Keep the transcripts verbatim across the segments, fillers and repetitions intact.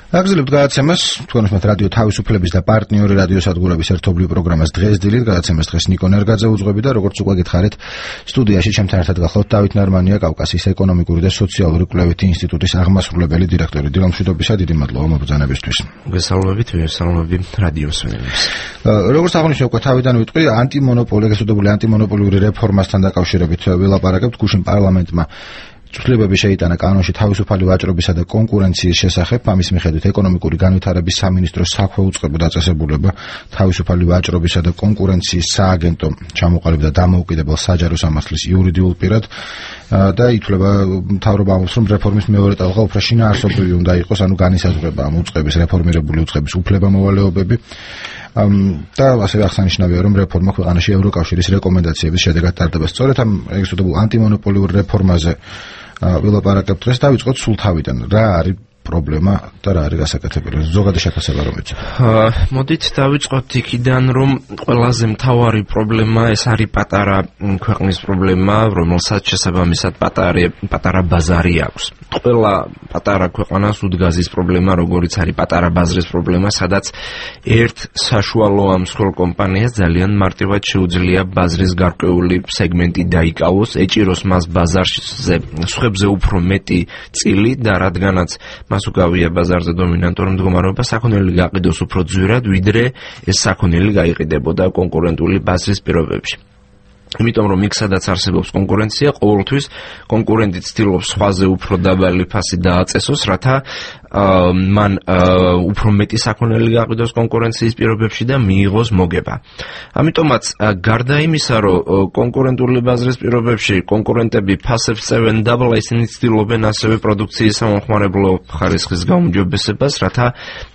აგზელებთ გადაცემას, თქვენ უსმენთ რადიო თავისუფლების და პარტნიორი რადიოსადგურების ერთობლივ პროგრამას დღეს დილით, გადაცემას დღეს ნიკო ნერგაძე უძღვები და როგორც უკვე გითხარით, სტუდიაში ჩემთან ერთად გახლავთ დავით ნარმანია, კავკასიის ეკონომიკური და სოციალური კვლევითი ინსტიტუტის აღმასრულებელი დირექტორი. დილამშვიდობისა, დიდი მადლობა მობრძანებისთვის. მოგესალმებით, მოგესალმებით რადიო მსმენელებს. როგორც აღნიშნე უკვე თავიდან ვიტყვი, ანტიმონოპოლიური, გასწორებული ანტიმონოპოლიური რეფორმასთან დაკავშირებით ვილაპარაკებთ. გუშინ პარლამენტმა ცვლილებები შეიტანა კანონში თავისუფალი ვაჭრობისა და კონკურენციის შესახებ. ამის მიხედვით ეკონომიკური განვითარების სამინისტროს საქმე უწყება დაწესებულება თავისუფალი ვაჭრობისა და კონკურენციის სააგენტო ჩამოყალიბდა დამოუკიდებელ საჯარო სამართლის იურიდიულ პირად და ითვლება მთავრობა ამბობს, რომ რეფორმის მეორე ტალღა უფრო შინაარსობრივი უნდა იყოს, ანუ განისაზღვრება ამ უწყების რეფორმირებული უწყების უფლებამოვალეობები. და ასევე აღსანიშნავია, რომ რეფორმა ქვეყანაში ევროკავშირის რეკომენდაციების შედეგად ტარდება. სწორედ ამ ეგრეთწოდებულ ანტიმონოპოლიურ რეფორმაზე ვილაპარაკებთ დღეს. დავიწყოთ სულ თავიდან. რა არის პრობლემა და რა არის გასაკეთებელი? ზოგადი შეფასება რომ იცით. მოდით დავიწყოთ იქიდან, რომ ყველაზე მთავარი პრობლემა ეს არის პატარა ქვეყნის პრობლემა, რომელსაც შესაბამისად პატარა პატარა ბაზარი აქვს. ყველა პატარა ქვეყანას უდგაზის პრობლემა, როგორიც არის პატარა ბაზრის პრობლემა, სადაც ერთ საშუალო ამსხვრელ კომპანიას ძალიან მარტივად შეუძლია ბაზრის გარკვეული სეგმენტი დაიკავოს, ეჭიროს მას ბაზარზე სხვებზე უფრო მეტი წილი და რადგანაც მას უკავია ბაზარზე დომინანტური მდგომარეობა, საქონელი გაყიდოს უფრო ძვირად, ვიდრე ეს საქონელი გაიყიდებოდა კონკურენტული ბაზრის პირობებში. იმიტომ რომ იქ სადაც არსებობს კონკურენცია, ყოველთვის კონკურენტი ცდილობს სხვაზე უფრო დაბალი ფასი დააწესოს, რათა მან უფრო მეტი საქონელი გაყიდოს კონკურენციის პირობებში და მიიღოს მოგება. ამიტომაც გარდა იმისა, რომ კონკურენტული ბაზრის პირობებში კონკურენტები ფასებს წევენ დაბლა, ისინი ცდილობენ ასევე პროდუქციის სამომხმარებლო ხარისხის გაუმჯობესებას, რათა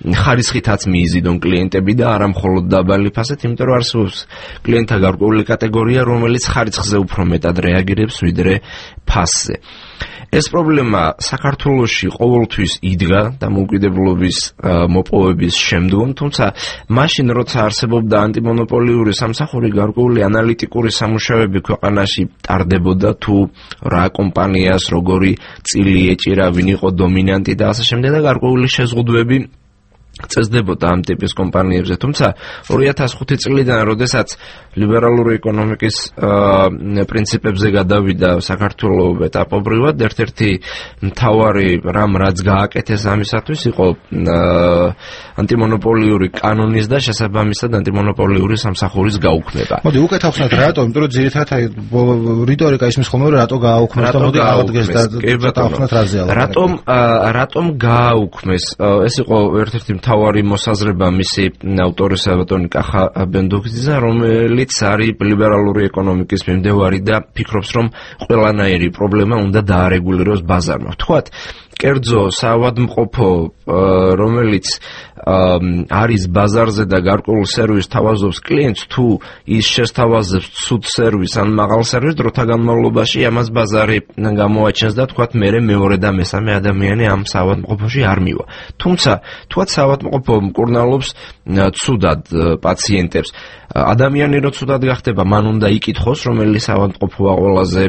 ხარისხითაც მიიზიდონ კლიენტები და არა მხოლოდ დაბალი ფასით, იმიტომ რომ არსებობს კლიენტთა გარკვეული კატეგორია, რომელიც ხარისხზე უფრო მეტად რეაგირებს ვიდრე ფასზე. ეს პრობლემა საქართველოში ყოველთვის იდგა დამოუკიდებლობის მოპოვების შემდგომ, თუმცა მაშინ როცა არსებობდა ანტიმონოპოლიური სამსახური, გარკვეული ანალიტიკური სამუშაოები ქვეყანაში ტარდებოდა თუ რა კომპანიას როგორი წილი ეჭირა, ვინ იყო დომინანტი და ასე შემდეგ და გარკვეული შეზღუდვები წესდებოდა ამ ტიპის კომპანიებზე. თუმცა ორი ათას ხუთი წლიდან, როდესაც ლიბერალური ეკონომიკის პრინციპებზე გადავიდა საქართველოს ეტაპობრივად, ერთ-ერთი მთავარი რამ რაც გააკეთეს ამისათვის იყო ანტიმონოპოლიური კანონის და შესაბამისად ანტიმონოპოლიური სამსახურის გაუქმება. მოდი უკეთ ახსნათ რატო, იმიტომ რომ ძირითადად რიტორიკა ისმის ხოლმე რომ რატო გააუქმეს და მოდი აღდგეს და ახსნათ რაზე ალბათ. რატომ რატომ გააუქმეს? ეს იყო ერთ-ერთი მთავარი მოსაზრება მისი ავტორისა ბატონი კახა ბენდოქიძისა, რომელიც არის ლიბერალური ეკონომიკის მიმდევარი და ფიქრობს, რომ ყველანაირი პრობლემა უნდა დაარეგულიროს ბაზარმა. ვთქვათ, კერძო საავადმყოფო, რომელიც არის ბაზარზე და გარკვეულ სერვისს თავაზობს კლიენტს, თუ ის შესთავაზებს ცუდ სერვისს ან მაღალ სერვისს, დროთა განმავლობაში ამას ბაზარი გამოაჩენს და თქვათ მერე მეორე და მესამე ადამიანი ამ საავადმყოფოში არ მივა. თუმცა, თქვათ საავადმყოფო მკურნალობს ცუდად პაციენტებს. ადამიანი რო ცუდად გახდება, მან უნდა იკითხოს, რომელი საავადმყოფოა ყველაზე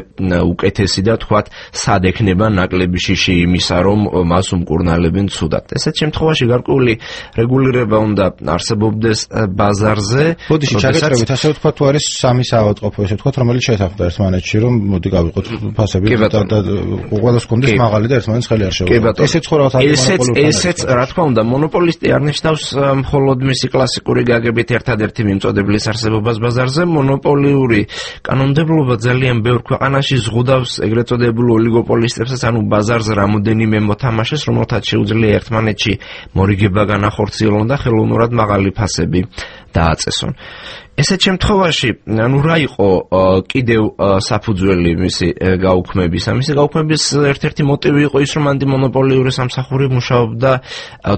უკეთესი და თქვათ სად ექნება ნაკლები შიში იმისა, რომ მას უმკურნალებენ ცუდად. ესეთ შემთხვევაში გარკვეული რეგულირება უნდა არსებობდეს ბაზარზე. ბოდიში ჩაგეწევით, ასე ვთქვათ, თუ არის სამი საავადმყოფო, ესე ვთქვათ, რომელიც შეთანხმდა ერთმანეთში, რომ მოდი გავიყოთ ფასები და ყველას კონდეს მაღალი და ერთმანეთს ხელი არ შეუძლია. ესეც ხო რაღაც ანტიმონოპოლიური. ესეც, რა თქმა უნდა, მონოპოლისტი არ ნიშნავს მხოლოდ მისი კლასიკური გაგებით ერთადერთი მიმწოდებლის არსებობას ბაზარზე. მონოპოლიური კანონმდებლობა ძალიან ბევრ ქვეყანაში ზღუდავს ეგრეთ წოდებულ ოლიგოპოლისტებსაც, ანუ ბაზარზე რამოდენიმე მოთამაშეს, რომელთაც შეუძლია ერთმანეთში მორიგება განახორციელონ და ხელოვნურად მაღალი ფასები დააწესონ. ესეთ შემთხვევაში, ანუ რა იყო კიდევ საფუძველი მისი გაუქმების? მისი გაუქმების ერთ-ერთი მოტივი იყო ის, რომ ანტიმონოპოლიური სამსახური მუშაობდა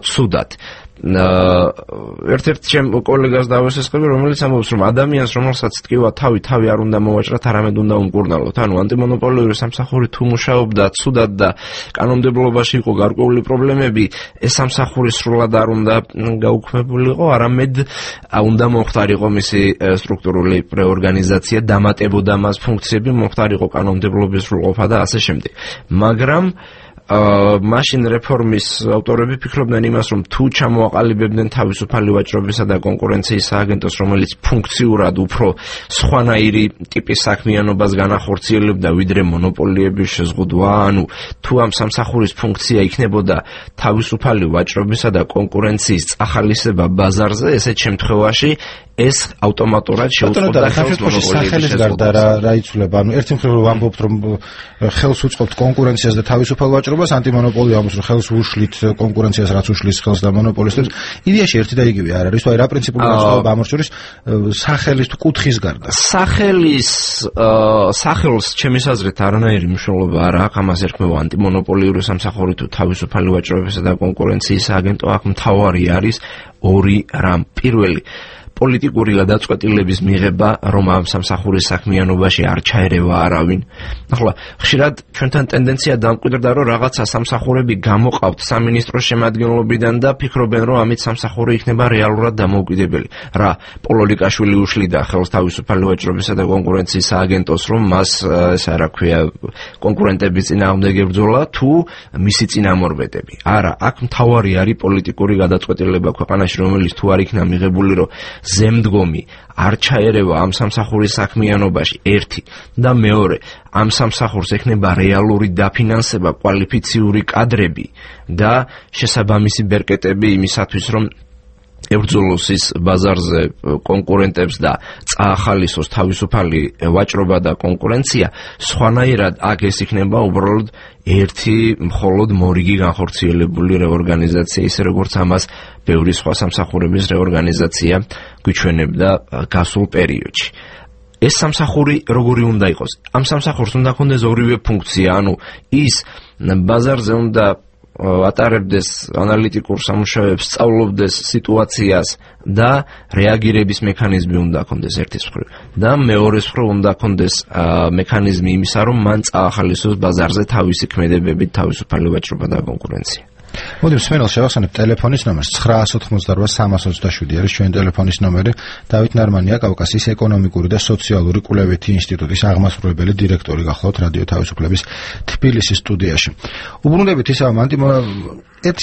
ცუდად. ერთ-ერთ ჩემ კოლეგას დავესწრები, რომელიც ამბობს, რომ ადამიანს, რომელსაც ტკივა თავი თავი არ უნდა მოვაჭრათ, არამედ უნდა უმკურნალოთ. ანუ ანტიმონოპოლიური სამსახური თუ მუშაობდა ცუდად და კანონმდებლობაში იყო გარკვეული პრობლემები, ეს სამსახური სრულად არ უნდა გაუქმებულიყო, არამედ უნდა მომხდარიყო მისი სტრუქტურული რეორგანიზაცია, დამატებოდა მას ფუნქციები, მომხდარიყო კანონმდებლობის სრულყოფა და ასე შემდეგ. მაგრამ მაშინ რეფორმის ავტორები ფიქრობდნენ იმას, რომ თუ ჩამოაყალიბებდნენ თავისუფალი ვაჭრობისა და კონკურენციის სააგენტოს, რომელიც ფუნქციურად უფრო სხვანაირი ტიპის საქმიანობას განახორციელებდა, ვიდრე მონოპოლიების შეზღუდვა, ანუ თუ ამ სამსახურის ფუნქცია იქნებოდა თავისუფალი ვაჭრობისა და კონკურენციის წახალისება ბაზარზე, ესეთ შემთხვევაში ეს ავტომატურად შეუწყობდა ხელს მონოპოლიების გარდა რა რა იცვლება, ანუ ერთი მხრივ ვამბობთ, რომ ხელს უწყობთ კონკურენციას და თავისუფალ ვაჭრობას, ანტიმონოპოლია ამის რომ ხელს უშლით კონკურენციას, რაც უშლის ხელს და მონოპოლისტებს. იდეაში ერთი და იგივე არ არის, აი რა პრინციპული განსხვავება ამ შორის სახელის თუ კუთხის გარდა. სახელის სახელს ჩემის აზრით არანაირი მნიშვნელობა არ აქვს, ამას ერქმევა ანტიმონოპოლიური სამსახური თუ თავისუფალი ვაჭრობისა და კონკურენციის სააგენტო. აქ მთავარი არის ორი რამ. პირველი, პოლიტიკური გადაწყვეტილების მიღება, რომ ამ სამსახურის საქმიანობაში არ ჩაერევა არავინ. ახლა ხშირად ჩვენთან ტენდენცია დამკვიდრდა, რომ რაღაცა სამსახურები გამოყავთ სამინისტროს შემადგენლობიდან და ფიქრობენ, რომ ამით სამსახური იქნება რეალურად დამოუკიდებელი. რა, პოლოლიკაშვილი უშლიდა ხელს თავისუფალი ვაჭრობისა და კონკურენციის სააგენტოს, რომ მას ესე რა ქვია, კონკურენტების წინააღმდეგ ებრძოლა თუ მისი წინამორბედები. არა, აქ მთავარი არის პოლიტიკური გადაწყვეტილება ქვეყანაში, რომელიც თუ არ იქნა მიღებული, რომ ზემდგომი არ ჩაერევა ამ სამსახურის საქმიანობაში, ერთი და მეორე, ამ სამსახურს ექნება რეალური დაფინანსება, კვალიფიციური კადრები და შესაბამისი ბერკეტები იმისათვის, რომ ებრძოლოს ის ბაზარზე კონკურენტებს და წაახალისოს თავისუფალი ვაჭრობა და კონკურენცია, სხვანაირად აქ ეს იქნება უბრალოდ ერთი მხოლოდ მორიგი განხორციელებული რეორგანიზაცია, ისე როგორც ამას ბევრი სხვა სამსახურების რეორგანიზაცია გვიჩვენებდა გასულ პერიოდში. ეს სამსახური როგორი უნდა იყოს? ამ სამსახურს უნდა ჰქონდეს ორივე ფუნქცია, ანუ ის ბაზარზე უნდა ატარებდეს ანალიტიკურ სამუშაოებს, სწავლობდეს სიტუაციას და რეაგირების მექანიზმი უნდა ჰქონდეს ერთის მხრივ და მეორეს მხრივ უნდა ჰქონდეს მექანიზმი იმისა, რომ მან წაახალისოს ბაზარზე თავისი ქმედებებით თავისუფალი ვაჭრობა და კონკურენცია. მოდი მსმენელს შევახსენებ ტელეფონის ნომერს ცხრა ოცდაოთხ სამას ოცდაშვიდი არის ჩვენი ტელეფონის ნომერი. დავით ნარმანია, კავკასიის ეკონომიკური და სოციალური კვლევითი ინსტიტუტის აღმასრულებელი დირექტორი გახლავთ რადიო თავისუფლების თბილისის სტუდიაში. უბრუნდებით ისევ ერთ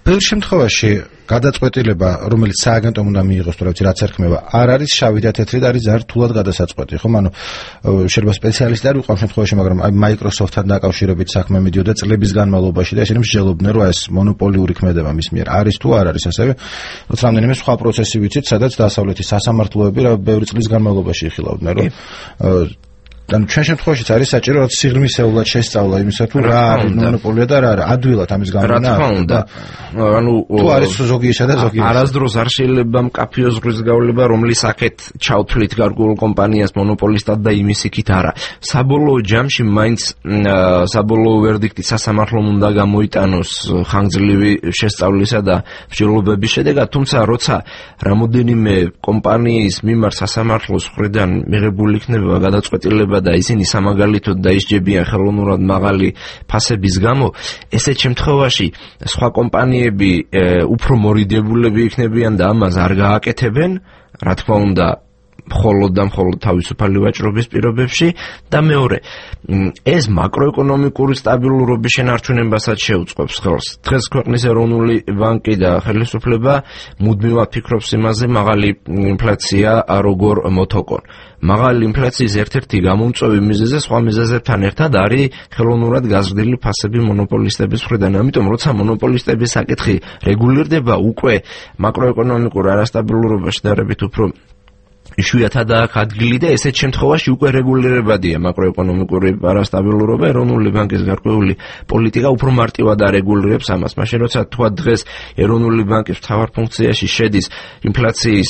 ბევრ შემთხვევაში გადაწყვეტილება, რომელიც სააგენტომ უნდა მიიღოს, თუ რაც რაც ერქმევა, არ არის შავი და თეთრი, არის ზართულად გადასაწყვეტი, ხომ? ანუ შეიძლება სპეციალისტი არ ვიყო ამ შემთხვევაში, მაგრამ აი Microsoft-თან დაკავშირებით საქმე მიდიოდა წლების განმავლობაში და ისინი მსჯელობდნენ, რომ ეს მონოპოლიური ქმედება მის მიერ არის თუ არ არის, ასევე რაც რამდენიმე სხვა პროცესი ვიცით, სადაც დასავლეთის სასამართლოები რა ბევრი წლის განმავლობაში იხილავდნენ, რომ ანუ ჩვენ შემთხვევაშიც არის საჭირო რაც სიღრმისეულად შესწავლა იმისა თუ რა არის მონოპოლია და რა არა ადვილად ამის გამონა. რა თქმა უნდა. ანუ თუ არის ზოგი ესა და ზოგი არასდროს არ შეიძლება მკაფიო ზღვის გავლება, რომლის აქეთ ჩავთვლით გარკვეულ კომპანიას მონოპოლისტად და იმის იქით არა. საბოლოო ჯამში მაინც საბოლოო ვერდიქტი სასამართლომ უნდა გამოიტანოს ხანგრძლივი შესწავლისა და მსჯელობების შედეგად, თუმცა როცა რამოდენიმე კომპანიის მიმართ სასამართლოს მხრიდან მიღებული იქნება გადაწყვეტილება და ისინი სამაგალითოდ დაისჯებიან ხელოვნურად მაღალი ფასების გამო, ესეთ შემთხვევაში სხვა კომპანიები უფრო მორიდებულები იქნებიან და ამას არ გააკეთებენ, რა თქმა უნდა, მხოლოდ და მხოლოდ თავისუფალი ვაჭრობის პირობებში და მეორე, ეს მაკროეკონომიკური სტაბილურობის შენარჩუნებასაც შეუწყობს ხელს. დღეს ქვეყნის ეროვნული ბანკი და ხელისუფლება მუდმივად ფიქრობს იმაზე, მაღალი ინფლაცია როგორ მოთოკონ. მაღალი ინფლაციის ერთ-ერთი გამომწვევი მიზეზი სხვა მიზეზებთან ერთად არის ხელოვნურად გაზრდილი ფასები მონოპოლისტების მხრიდან. ამიტომ როცა მონოპოლისტების საკითხი რეგულირდება, უკვე მაკროეკონომიკურ არასტაბილურობაში შედარებით უფრო იშვიათადაა აქ ადგილი და ესეთ შემთხვევაში უკვე რეგულირებადია მაკროეკონომიკური არასტაბილურობა. ეროვნული ბანკის გარკვეული პოლიტიკა უფრო მარტივად არეგულირებს ამას. მაშინ როცა თქვა დღეს ეროვნული ბანკის მთავარ ფუნქციაში შედის ინფლაციის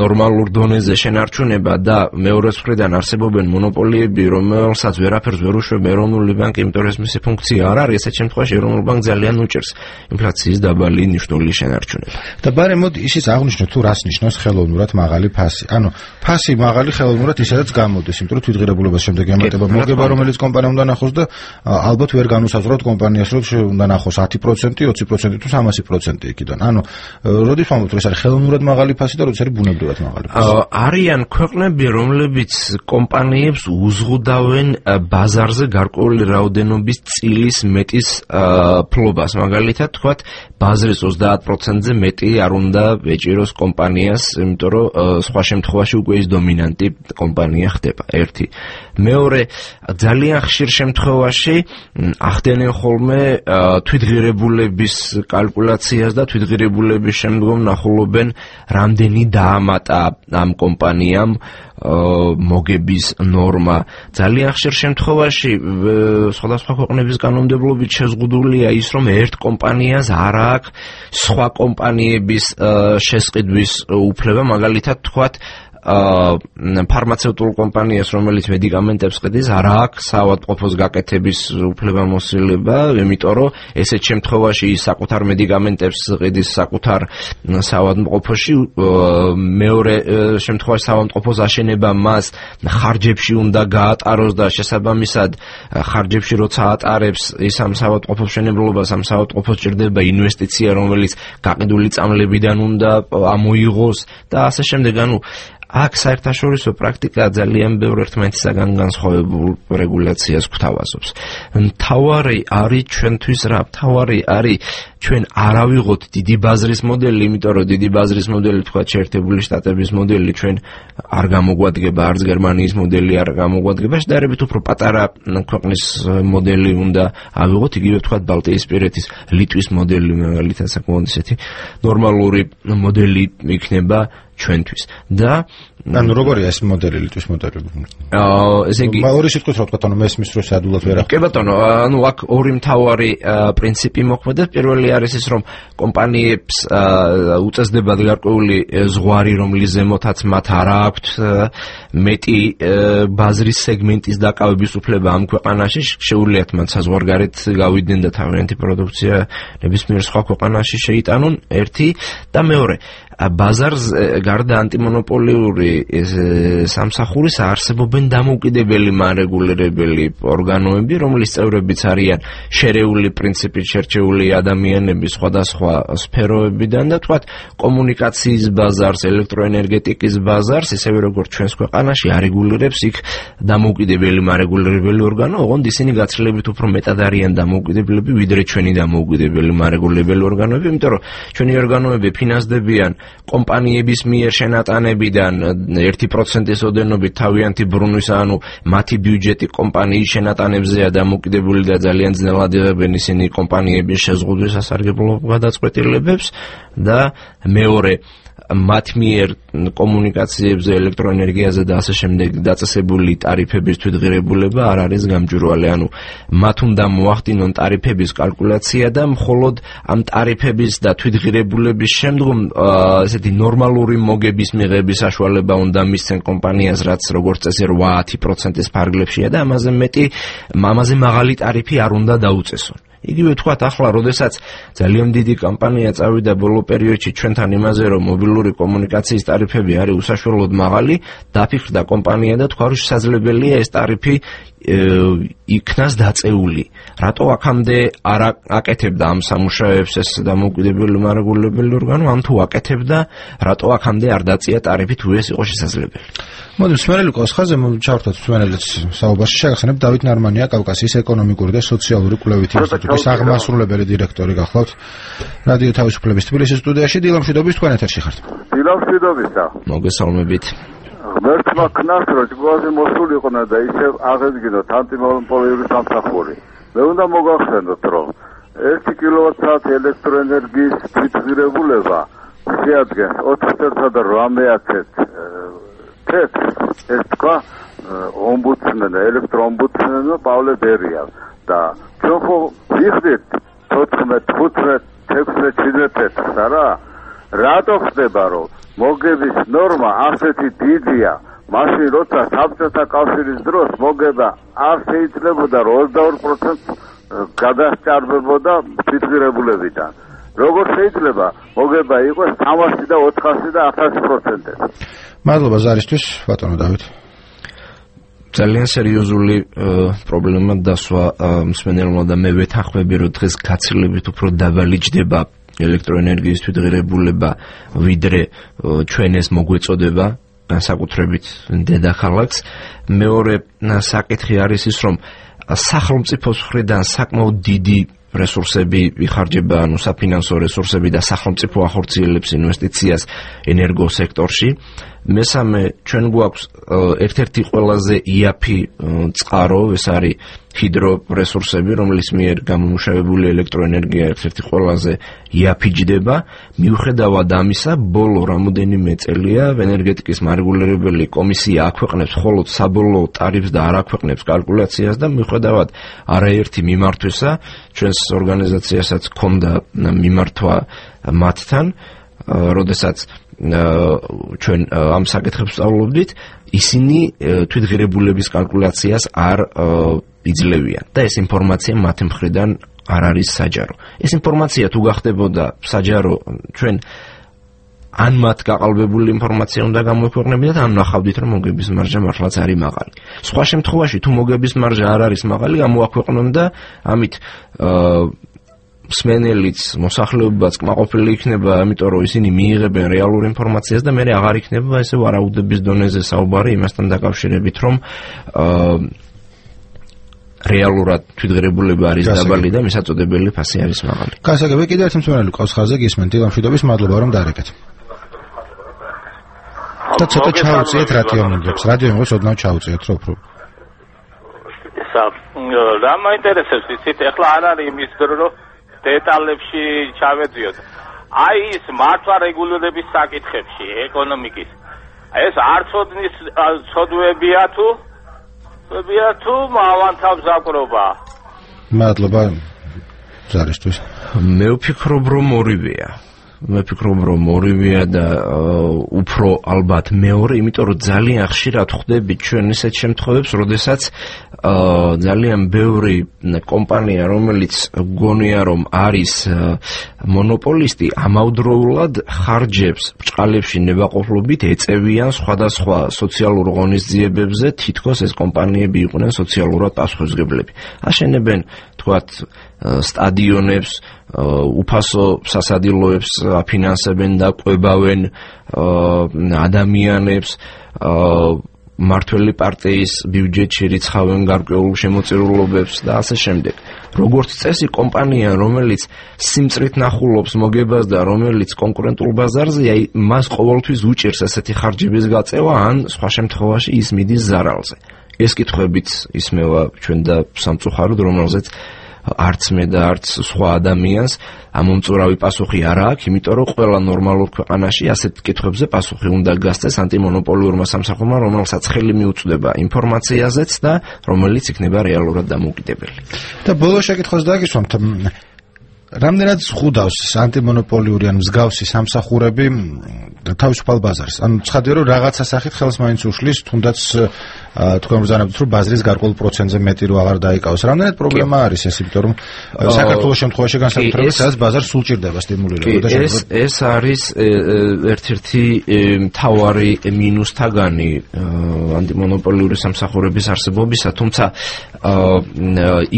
ნორმალურ დონეზე შენარჩუნება და მეორე მხრიდან არსებობენ მონოპოლიები, რომელსაც ვერაფერს ვერ უშვებ ეროვნული ბანკი, იმიტომ რომ მისი ფუნქცია არ არის, ესეთ შემთხვევაში ეროვნული ბანკი ძალიან უჭერს ინფლაციის დაბალი ნიშნული შენარჩუნება. და ბარემ მოდი ისიც აღნიშნოთ თუ რას ნიშნავს ხელოვნურად მაღალი ფასი. ანუ ფასი მაღალი ხელოვნურად ისედაც გამოდის, იმიტომ რომ თვითღირებულებას შემდეგ ემატება მოგება, რომელიც კომპანია უნდა ნახოს და ალბათ ვერ განუსაზღვროთ კომპანიას, რომ უნდა ნახოს ათი პროცენტი, ოცი პროცენტი თუ სამასი პროცენტი იქიდან. ანუ როდის ვამბობთ, რომ ეს არის ხელოვნურად მაღალი ფასი და როდის არის ბუნებრივად მაღალი ფასი? არიან ქვეყნები, რომლებიც კომპანიებს უზღუდავენ ბაზარზე გარკვეული რაოდენობის წილის მეტის ფლობას, მაგალითად თქვათ ბაზრის ოცდაათ პროცენტზე მეტი არ უნდა ეჭიროს კომპანიას, იმიტომ რომ სხვა შემთხვევაში უკვე ის დომინანტი კომპანია ხდება. ერთი. მეორე, ძალიან ხშირ შემთხვევაში ახდენენ ხოლმე თვითღირებულების კალკულაციას და თვითღირებულების შემდგომ ნახულობენ რამდენი დაამატა ამ კომპანიამ მოგების ნორმა. ძალიან ხშირ შემთხვევაში სხვადასხვა ქვეყნების კანონმდებლობით შეზღუდულია ის, რომ ერთ კომპანიას არ აქვს სხვა კომპანიების შესყიდვის უფლება, მაგალითად თქვათ ფარმაცევტულ კომპანიას, რომელიც მედიკამენტებს ყიდის, არ აქვს საავადმყოფოს გაკეთების უფლებამოსილება, იმიტომ რომ ესეთ შემთხვევაში ის საკუთარ მედიკამენტებს ყიდის საკუთარ საავადმყოფოში, მეორე შემთხვევაში საავადმყოფოს აშენება მას ხარჯებში უნდა გაატაროს და შესაბამისად ხარჯებში როცა ატარებს ის ამ საავადმყოფოს მშენებლობას, ამ საავადმყოფოს ჭირდება ინვესტიცია, რომელიც გაყიდული წამლებიდან უნდა ამოიღოს და ასე შემდეგ. ანუ აქ საერთაშორისო პრაქტიკა ძალიან ბევრ ერთმანეთისაგან განსხვავებულ რეგულაციას გვთავაზობს. მთავარი არის ჩვენთვის რა? მთავარი არის ჩვენ არ ავიღოთ დიდი ბაზრის მოდელი, იმიტომ რომ დიდი ბაზრის მოდელი თქვა შეერთებული შტატების მოდელი ჩვენ არ გამოგვადგება, არც გერმანიის მოდელი არ გამოგვადგება, შედარებით უფრო პატარა ქვეყნის მოდელი უნდა ავიღოთ, იგივე თქვა ბალტიისპირეთის, ლიტვის მოდელი, მაგალითად საკმაოდ ისეთი ნორმალური მოდელი იქნება ჩვენთვის. და ანუ როგორია ეს მოდელი, ლიტვის მოდელი? აა ესე იგი ორი სიტყვით რა ვთქვათ, ანუ მესმის რო სადულად ვერ ახდენს. კი ბატონო, ანუ აქ ორი მთავარი პრინციპი მოქმედებს. პირველი არის ის, რომ კომპანიებს უწესდებათ გარკვეული ზღვარი, რომლის ზემოთაც მათ არ აქვთ მეტი ბაზრის სეგმენტის დაკავების უფლება ამ ქვეყანაში, შეუძლიათ მათ საზღვარგარეთ გავიდნენ და თავიანთი პროდუქცია ნებისმიერ სხვა ქვეყანაში შეიტანონ, ერთი და მეორე ბაზარს გარდა ანტიმონოპოლიური სამსახურის არსებობენ დამოუკიდებელი მარეგულირებელი ორგანოები, რომლის წევრებიც არიან შერეული პრინციპით შერჩეული ადამიანები სხვადასხვა სფეროებიდან და თქვათ კომუნიკაციის ბაზარს, ელექტროენერგეტიკის ბაზარს, ისევე როგორც ჩვენს ქვეყანაში არეგულირებს იქ დამოუკიდებელი მარეგულირებელი ორგანო, ოღონდ ისინი გაცილებით უფრო მეტად არიან დამოუკიდებლები, ვიდრე ჩვენი დამოუკიდებელი მარეგულირებელი ორგანოები, იმიტომ რომ ჩვენი ორგანოები ფინანსდებიან კომპანიების მიერ შენატანებიდან ერთი პროცენტის ოდენობით თავიანთი ბრუნვის, ანუ მათი ბიუჯეტი კომპანიის შენატანებზეა დამოკიდებული და ძალიან ძნელად იღებენ ისინი კომპანიების შეზღუდვის სასარგებლო გადაწყვეტილებებს და მეორე მათ მიერ კომუნიკაციებზე, ელექტროენერგიაზე და ასე შემდეგ დაწესებული ტარიფების თვითღირებულება არ არის გამჭვირვალე, ანუ მათ უნდა მოახდინონ ტარიფების კალკულაცია და მხოლოდ ამ ტარიფების და თვითღირებულების შემდგომ ესეთი ნორმალური მოგების მიღების საშუალება უნდა მისცენ კომპანიას, რაც როგორც წესი რვა-ათი პროცენტის ფარგლებშია და ამაზე მეტი, ამაზე მაღალი ტარიფი არ უნდა დაუწესონ. იგივე თქვათ ახლა, როდესაც ძალიან დიდი კამპანია წავიდა ბოლო პერიოდში ჩვენთან იმაზე, რომ მობილური კომუნიკაციის ტარიფები არის უსაშუალოდ მაღალი, დაფიქრდა კომპანია და თქვა, რომ შესაძლებელია ეს ტარიფი იქნას დაწეული. რატო აქამდე არ აკეთებდა ამ სამუშაოებს ეს დამოუკიდებელი მარეგულირებელი ორგანო, ამ თუ აკეთებდა, რატო აქამდე არ დაწია ტარიფი, თუ ეს იყო შესაძლებელი? მოდი სმენელიკოს ხაზე ჩავერთოთ სმენელიც საუბარში. შეგახსენებ დავით ნარმანია, კავკასიის ეკონომიკური და სოციალური კვლევითი ინსტიტუტის აღმასრულებელი დირექტორი გახლავთ რადიო თავისუფლების თბილისის სტუდიაში. დილამშვიდობის, თქვენ ეთერში ხართ. დილამშვიდობისა. მოგესალმებით. ღმერთმა ქნას რო ჭკუაზე მოსულიყვნა და ისევ აღედგინოთ ანტიმონოპოლიური სამსახური. მე უნდა მოგახსენოთ, რომ ერთი კილოვატ-საათი ელექტროენერგიის თვითღირებულება შეადგენს ოთხ წელსა და რვამეათს თეთრს, ეს თქვა ომბუდსმენი, ელექტროომბუდსმენი პავლე ბერია და ჩვენ ხო ვიხდით თოთხმეტ, ხუთმეტ, ექვსმეტ, შვიდმეტ თეთრს არა? რატო ხდება, რომ მოგების ნორმა ასეთი დიდია, მაშინ როცა საბჭოთა კავშირის დროს მოგება არ შეიძლებოდა რომ ოცდაორ პროცენტს გადასჭარბებოდა თვითღირებულებიდან. როგორ შეიძლება მოგება იყოს სამასი და ოთხასი და ათასი პროცენტი. მადლობა ზარისთვის, ბატონო დავით. ძალიან სერიოზული პრობლემა დასვა მსმენელმა და მე ვეთანხმები, რომ დღეს გაცილებით უფრო დაბალი ჯდება ელექტროენერგიის თვითღირებულება, ვიდრე ჩვენ ეს მოგვეწოდება, განსაკუთრებით დედაქალაქს. მეორე საკითხი არის ის, რომ სახელმწიფოს მხრიდან საკმაოდ დიდი რესურსები იხარჯება, ანუ საფინანსო რესურსები და სახელმწიფო ახორციელებს ინვესტიციას ენერგოსექტორში. მესამე, ჩვენ გვაქვს ერთ-ერთი ყველაზე იაფი წყარო, ეს არის ჰიდრორესურსები, რომლის მიერ გამომუშავებული ელექტროენერგია ერთ-ერთი ყველაზე იაფი ჯდება. მიუხედავად ამისა, ბოლო რამოდენიმე წელია ენერგეტიკის მარეგულირებელი კომისია აქვეყნებს მხოლოდ საბოლოო ტარიფს და არ აქვეყნებს კალკულაციას და მიუხედავად არაერთი მიმართვისა, ჩვენს ორგანიზაციასაც ჰქონდა მიმართვა მათთან, როდესაც ჩვენ ამ საკითხებს სწავლობდით, ისინი თვითღირებულების კალკულაციას არ იძლევიან და ეს ინფორმაცია მათი მხრიდან არ არის საჯარო. ეს ინფორმაცია თუ გახდებოდა საჯარო, ჩვენ ან მათ გაყალბებული ინფორმაცია უნდა გამოექვეყნებინათ, ან ნახავდით, რომ მოგების მარჟა მართლაც არის მაღალი. სხვა შემთხვევაში, თუ მოგების მარჟა არ არის მაღალი, გამოაქვეყნონ და ამით მსმენელიც, მოსახლეობაც კმაყოფილი იქნება, ამიტომ რომ ისინი მიიღებენ რეალურ ინფორმაციას და მერე აღარ იქნება ესე ვარაუდების დონეზე საუბარი იმასთან დაკავშირებით, რომ რეალურად თვითღირებულება არის დაბალი და მისაწოდებელი ფასი არის მაღალი. გასაგები, კიდევ ერთი მსმენელი ყავს ხაზზე, გისმენთ, დილამშვიდობის, მადლობა რომ დაარეკეთ. და ცოტა ჩაუწიეთ რადიომილებს, რადიომილებს ოდნავ ჩაუწიეთ, რო უფრო. რა მაინტერესებს იცით, ეხლა არ არის იმის დრო, რომ დეტალებში ჩავედიოთ. აი ის მართვა რეგულირების საკითხებში, ეკონომიკის. ეს არ ცოდნის ცოდვებია თუ ცოდვებია თუ მავანთავს აკრობა. მადლობა ზარისთვის. მე ვფიქრობ, რომ ორივეა. მე ვფიქრობ, რომ ორივეა და უფრო ალბათ მეორე, იმიტომ რომ ძალიან ხშირად ხვდებით ჩვენ ისეთ შემთხვევებს, როდესაც ძალიან ბევრი კომპანია, რომელიც გონია, რომ არის მონოპოლისტი, ამავდროულად ხარჯებს ბჭყალებში ნებაყოფლობით ეწევიან სხვადასხვა სოციალურ ღონისძიებებზე, თითქოს ეს კომპანიები იყვნენ სოციალურად პასუხისმგებლები. აშენებენ, თქვათ, სტადიონებს, უფასო სასადილოებს აფინანსებენ და ყვებავენ ადამიანებს, მართველი პარტიის ბიუჯეტში რიცხავენ გარკვეულ შემოწირულობებს და ასე შემდეგ. როგორც წესი, კომპანია, რომელიც სიმწრით ნახულობს მოგებას და რომელიც კონკურენტულ ბაზარზეა, მას ყოველთვის უჭირს ესეთი ხარჯების გაწევა, ან სხვა შემთხვევაში ის მიდის ზარალზე. ეს კითხვებიც ისმევა ჩვენ და სამწუხაროდ, რომელზეც არც მე და არც სხვა ადამიანს ამომწურავი პასუხი არ აქვს, იმიტომ რომ ყველა ნორმალურ ქვეყანაში ასეთ კითხვებზე პასუხი უნდა გასცეს ანტიმონოპოლიურმა სამსახურმა, რომელსაც ხელი მიუწვდება ინფორმაციაზეც და რომელიც იქნება რეალურად დამოუკიდებელი. და ბოლოს შეკითხვას დაგისვამთ, რამდენად ზღუდავს ანტიმონოპოლიური ან მსგავსი სამსახურები თავისუფალ ბაზარს? ანუ ცხადია, რომ რაღაცა სახით ხელს მაინც უშლის, თუნდაც თქვენ ბრძანებთ, რომ ბაზრის გარკვეულ პროცენტზე მეტი რო აღარ დაიკავოს. რამდენად პრობლემა არის ეს, იმიტომ რომ საქართველოს შემთხვევაში განსაკუთრებით სადაც ბაზარს სულ ჭირდება სტიმულირება და ეს ეს არის ერთ-ერთი მთავარი მინუსთაგანი ანტიმონოპოლიური სამსახურების არსებობისა, თუმცა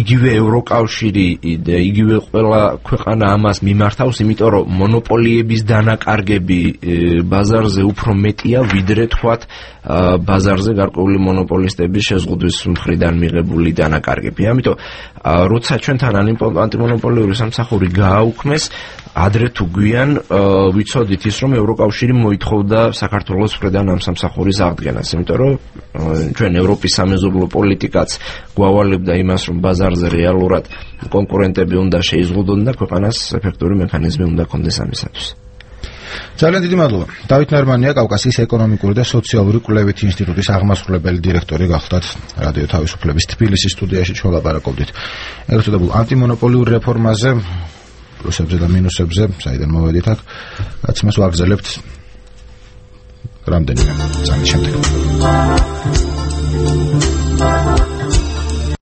იგივე ევროკავშირი და იგივე ყველა ქვეყანა ამას მიმართავს, იმიტომ რომ მონოპოლიების დანაკარგები ბაზარზე უფრო მეტია, ვიდრე თქვათ ბაზარზე გარკვეული მონოპოლისტების შეზღუდვის მხრიდან მიღებული დანაკარგები. ამიტომ როცა ჩვენთან ანტიმონოპოლიური სამსახური გააუქმეს, ადრე თუ გვიან ვიცოდით ის, რომ ევროკავშირი მოითხოვდა საქართველოს მხრიდან ამ სამსახურის აღდგენას, იმიტომ რომ ჩვენ ევროპის სამეზობლო პოლიტიკაც გვავალებდა იმას, რომ ბაზარზე რეალურად კონკურენტები უნდა შეიზღუდონ და ქვეყანას ეფექტური მექანიზმი უნდა ქონდეს ამისათვის. ძალიან დიდი მადლობა. დავით ნარმანია, კავკასიის ეკონომიკური და სოციალური კვლევითი ინსტიტუტის აღმასრულებელი დირექტორი გახლდათ რადიო თავისუფლების თბილისის სტუდიაში ჩვენ ლაპარაკობდით ეგრეთ წოდებულ ანტიმონოპოლიურ რეფორმაზე, პლუსებზე და მინუსებზე, საიდან მოვედით აქ, გაცემას ვაგრძელებთ რამდენიმე წამის შემდეგ.